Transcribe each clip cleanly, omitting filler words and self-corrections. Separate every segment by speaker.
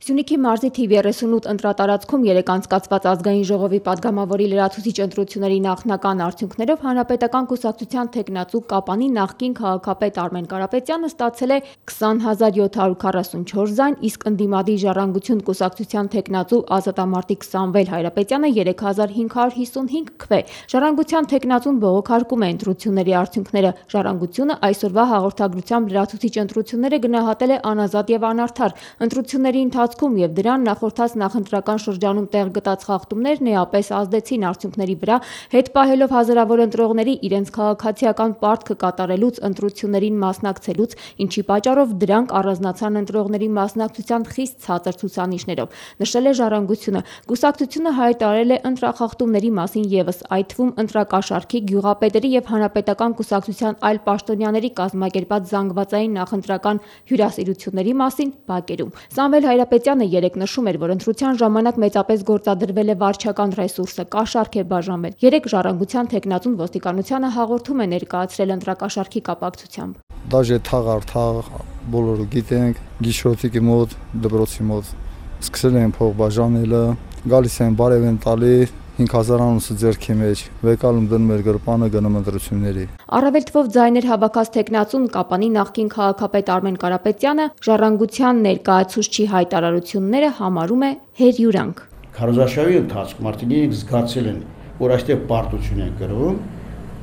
Speaker 1: Սյունիքի մարզի թիվ 38 ընտրատարածքում երեկ անցկացված ազգային ժողովի падգամավորի լրացուցիչ ընտրությունների նախնական արդյունքներով Հանրապետական կուսակցության թեկնածու Կապանի նախկին քաղաքապետ Արմեն Կարապետյանը ստացել է 20,744 ձայն, իսկ ընդդիմադիր Ժառանգություն կուսակցության թեկնածու ազատամարտիկ Սամվել Հայրապետյանը 3,555 քվե։ Ժառանգության թեկնածուն բողոքարկում է ընտրությունների արդյունքները։ Ժառանգությունը այսօրվա հաղորդագրությամբ լրացուցիչ ընտրությունները գնահատել է անազատ եւ անարդար։ Ընտրությունների ընթացքում եւ դրան նախորդած նախընտրական շրջանում տեղ գտած խախտումներն էապես ազդեցին արդյունքների վրա, հետ պահելով հազարավոր ընտրողների իրենց քաղաքացիական պարտքը կատարելուց, ընտրություններին մասնակցելուց, ինչի պատճառով դրանք առանձնացան ընտրողների մասնակցության խիստ ցածր ցուցանիշներով, նշել է Ժառանգությունը։ Կուսակցությունը հայտարարել է ընտրախախտումների մասին եւս, այդ թվում ընտրակաշառքի, գյուղապետերի եւ հանրապետական կուսակցության այլ պաշտոնյաների կազմակերպած զանգվածային նախընտրական հյուրասիրությունների մասին բակերում։ Սամվել Հայրապետյանը երեկ նշում էր, որ ընտրության ժամանակ մեծապես գործադրվել է վարչական ռեսուրսը, կաշառք է բաժանվել։ Երեկ Ժառանգության թեկնածուն ոստիկանությանը հաղորդում է ներկայացրել ընտրակաշառքի կապակցությամբ։
Speaker 2: Դաժե թաղ բոլորը գիտենք, գիշերոտիկի մոտ, դպրոցի մոտ սկսել են փող բաժանելը, գալիս են բարև են տալի 5000 անուսը ձեռքի մեջ, վեկալում դնում էր գրպանը գնում ընտրությունների։
Speaker 1: Առավել թվով ձայներ հավաքած թեկնածուն Կապանի նախկին քաղաքապետ Արմեն Կարապետյանը Ժառանգության ներկայացուցչի հայտարարությունները համարում է հերյուրանք։
Speaker 3: Քարոզարշավի ընթացքում արդեն իրենք զգացել են, որ այստեղ պարտություն են կրում,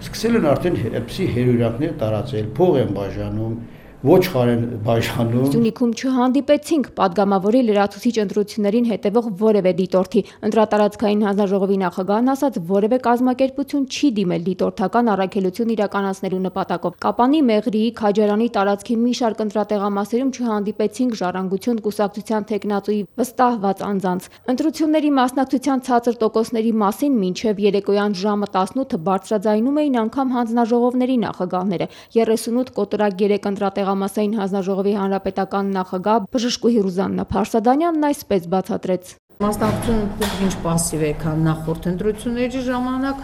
Speaker 3: սկսել են արդեն էպսի հերյուրանքներ տարածել, փող են բաժանում, ոչխար են բաժանում։
Speaker 1: Սյունիքում չհանդիպեցինք падգամավորի լրացուցիչ ընտրություններին հետևող որևէ դիտորդի։ Ընտրատարածքային հանձնաժողովի նախագահն ասաց, որևէ կազմակերպություն չի դիմել դիտորդական առաքելություն իրականացնելու նպատակով։ Կապանի, Մեղրիի, Քաջարանի տարածքի մի շարք ընտրատեղամասերում չհանդիպեցինք Ժառանգություն կուսակցության թեկնածուի վստահված անձանց։ Ընտրությունների մասնակցության ցածր տոկոսների մասին մինչև երեկոյան ժամը 18-ը բարձրաձայնում էին անգամ հանձնաժողովների նախագահները։ 38 կոտորակ 3 ընտրատեղամասային հանձնաժողովի հանրապետական նախագահ Բժշկուհի Ռուզաննա Փարսադանյանն այսպես բացատրեց։
Speaker 4: Մասնակցությունը փոքր-ինչ պասիվ է, քան նախորդ ընտրությունների ժամանակ,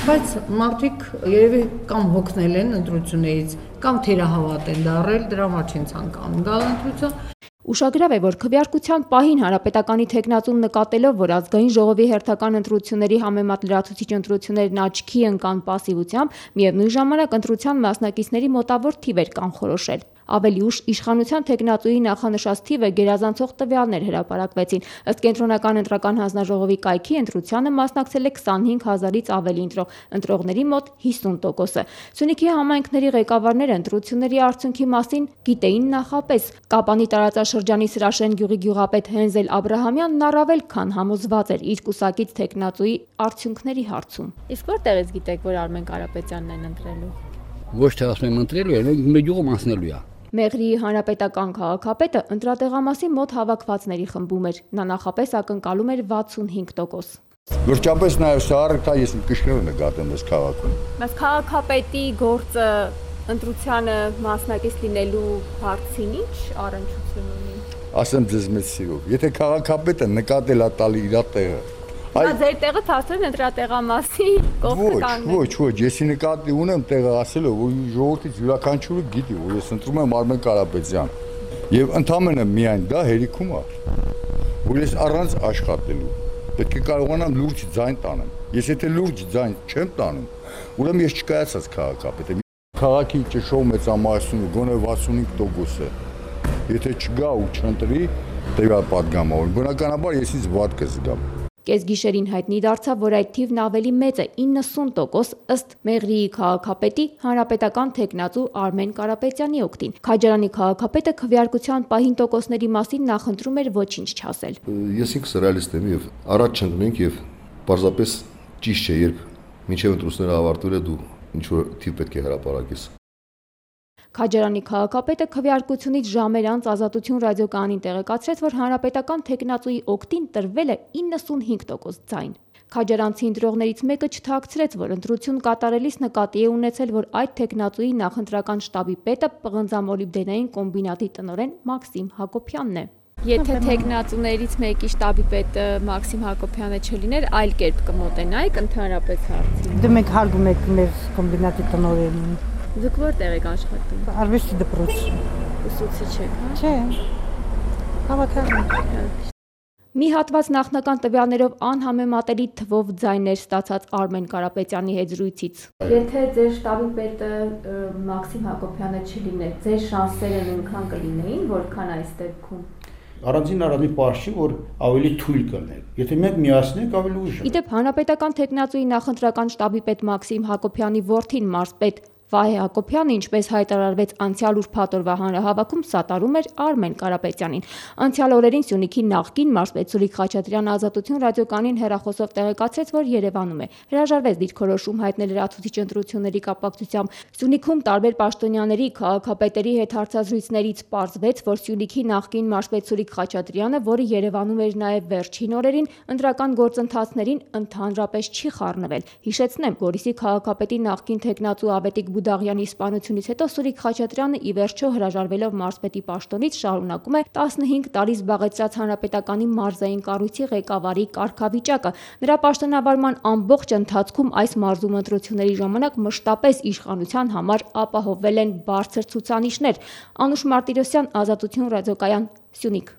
Speaker 4: բայց մարդիկ երևի կամ հոգնել են ընտրություններից, կամ թերահավատ են դառել, դրա համար չեն ցանկանում գալ ընտրություն։
Speaker 1: Ուշագրավ է, որ քվեարկության պահին Հանրապետականի թեկնածուն նկատելով, որ ազգային ժողովի հերթական ընտրությունների համեմատ լրացուցիչ ընտրություններն աչքի ընկան պասիվությամբ, միևնույն ժամանակ ընտրության մասնակիցների մոտավոր թիվ էր կանխորոշել։ Ավելի ուշ իշխանության թեկնածուի նախանշած թիվը գերազանցող տվյալներ հրապարակվեցին։ Ըստ կենտրոնական ընտրական հանձնաժողովի կայքի ընտրությանը մասնակցել է 25000-ից ավելի ընտրող, ընտրողների մոտ 50%-ը։ Սյունիքի համայնքների ղեկավարները ընտրությունների արդյունքի մասին գիտեին նախապես։ Կապանի տարածաշրջանի Սրաշեն գյուղի գյուղապետ Հենզել Աբրահամյանն առավել քան համոզված էր իր կուսակից թեկնածուի արդյունքների հարցում։ Իսկ որտեղից գիտեք, որ Արմեն Կարապետյանն են ընտրելու։
Speaker 5: Ոչ թե ասում եմ ընտրելու է, մեր գյուղում անցնելու է։
Speaker 1: Մեղրիի հանրապետական քաղաքապետը ընտրատեղամասի մոտ հավաքվածների խմբում էր։ Նա նախապես ակնկալում էր 65%։
Speaker 6: Վերջապես նաև սա առարկա ես կշկրել նկատեմ այս քաղաքում։
Speaker 1: Բայց քաղաքապետի գործը ընտրությանը մասնակից լինելու հարցին ինչ առնչություն ունի։
Speaker 6: Ասեմ ձեզ մեծ սիրով, եթե քաղաքապետը նկատել է տալի իր տեղը,
Speaker 1: Նա ձեր տեղը թափել ընտրատեղամասի կողքը կանգնել։
Speaker 6: Ոչ, եսի նկատի ունեմ տեղը ասել, որ ժողովրդից յուրաքանչյուրը գիտի, որ ես ընտրում եմ Արմեն Կարապետյան։ Եվ ընդամենը միայն դա հերիքում է, որ ես առանց աշխատելու պետք է կարողանամ լուրջ ձայն տանեմ։ Ես եթե լուրջ ձայն չեմ տանում, ուրեմն ես չկայացած քաղաքապետ եմ։ Քաղաքի ճշով մեծամասնությունը գոնե 65% է։ Եթե չգա ու չընտրի, տվյալ падգամավոր, բնականաբար ես ինձ վատ կզգամ։
Speaker 1: Կեսգիշերին հայտնի դարձավ, որ այդ թիվն ավելի մեծ է 90% ըստ Մեղրիի քաղաքապետի հանրապետական թեկնածու Արմեն Կարապետյանի օգտին։ Քաջարանի քաղաքապետը քվեարկության պահին տոկոսների մասին նախընտրում էր ոչինչ չասել։
Speaker 7: Ես ինքս ռեալիստ եմ եւ առաջ չընկնենք եւ պարզապես ճիշտ չէ, երբ մինչեւ ընտրությունները ավարտվել է դու ինչ որ թիվ պետք է հրապարակես։
Speaker 1: Քաջարանի քաղաքապետը քվեարկությունից ժամեր անց Ազատություն ռադիոկայանին տեղեկացրեց, որ հանրապետական թեկնածուի օգտին տրվել է 95% ձայն։ Քաջարանցի ընտրողներից մեկը չթաքցրեց, որ ընտրություն կատարելիս նկատի է ունեցել, որ այդ թեկնածուի նախընտրական շտաբի պետը պղնձամոլիբդենային կոմբինատի տնօրեն Մաքսիմ Հակոբյանն է։ Եթե թեկնածուներից մեկի շտաբի պետը Մաքսիմ Հակոբյանը չլիներ, այլ կերպ կմոտենայիք ընդհանրապես հարցին։
Speaker 4: Դու մեկ հարգում եք մեր կոմբինատի տնօրենին։
Speaker 1: Դուք որտեղ եք աշխատում։
Speaker 4: Արվեստի դպրոց։
Speaker 1: Ուսուցիչ եք, հա։
Speaker 4: Չէ։
Speaker 1: Մի հատված նախնական տվյալներով անհամեմատելի թվով ձայներ ստացած Արմեն Կարապետյանի հետ զրույցից։ Եթե ձեր շտաբի պետը Մաքսիմ Հակոբյանը չլիներ, ձեր շանսերը նույնքան կլինեին, որքան այս դեպքում։
Speaker 3: Առանձին պարզ չի, որ ավելի թույլ կլինեք։ Եթե մենք միացնենք, ավելի ուժ։
Speaker 1: Իդեպ հանրապետական թեկնածուի նախընտրական շտաբի պետ Մաքսիմ Հակոբյանի որդին մարզպետ Վահե Հակոբյանը, ինչպես հայտարարվեց անցյալ ուրբաթ օրվա հանրահավաքում, սատարում էր Արմեն Կարապետյանին։ Անցյալ օրերին Սյունիքի նախկին մարզպետ Սուրիկ Խաչատրյանը Ազատություն ռադիոկայանին հեռախոսով տեղեկացրեց, որ Երևանում է։ Հրաժարվեց դիրքորոշում հայտնել լրացուցիչ ընտրությունների կապակցությամբ։ Սյունիքում տարբեր պաշտոնյաների, քաղաքապետերի հետ հարցազրույցներից պարզվեց, որ Սյունիքի նախկին մարզպետ Սուրիկ Խաչատրյանը, որը Երևանում էր նաև վերջին օրերին, ընտրական գործընթացներին ընդհանրապես չի խառնվել։ Հիշեցնեմ, Գորիսի քաղաքապետի նախկին թեկնածու Ավետիք Բուդաղյանի սպանությունից հետո Սուրիկ Խաչատրյանը ի վերջո հրաժարվելով մարզպետի պաշտոնից շարունակում է 15 տարի զբաղեցրած հանրապետականի մարզային կառույցի ղեկավարի կարգավիճակը։ Նրա պաշտոնավարման ամբողջ ընթացքում այս մարզում ընտրությունների ժամանակ մշտապես իշխանության համար ապահովվել են բարձր ցուցանիշներ։ Անուշ Մարտիրոսյան, Ազատություն ռադիոկայան, Սյունիք։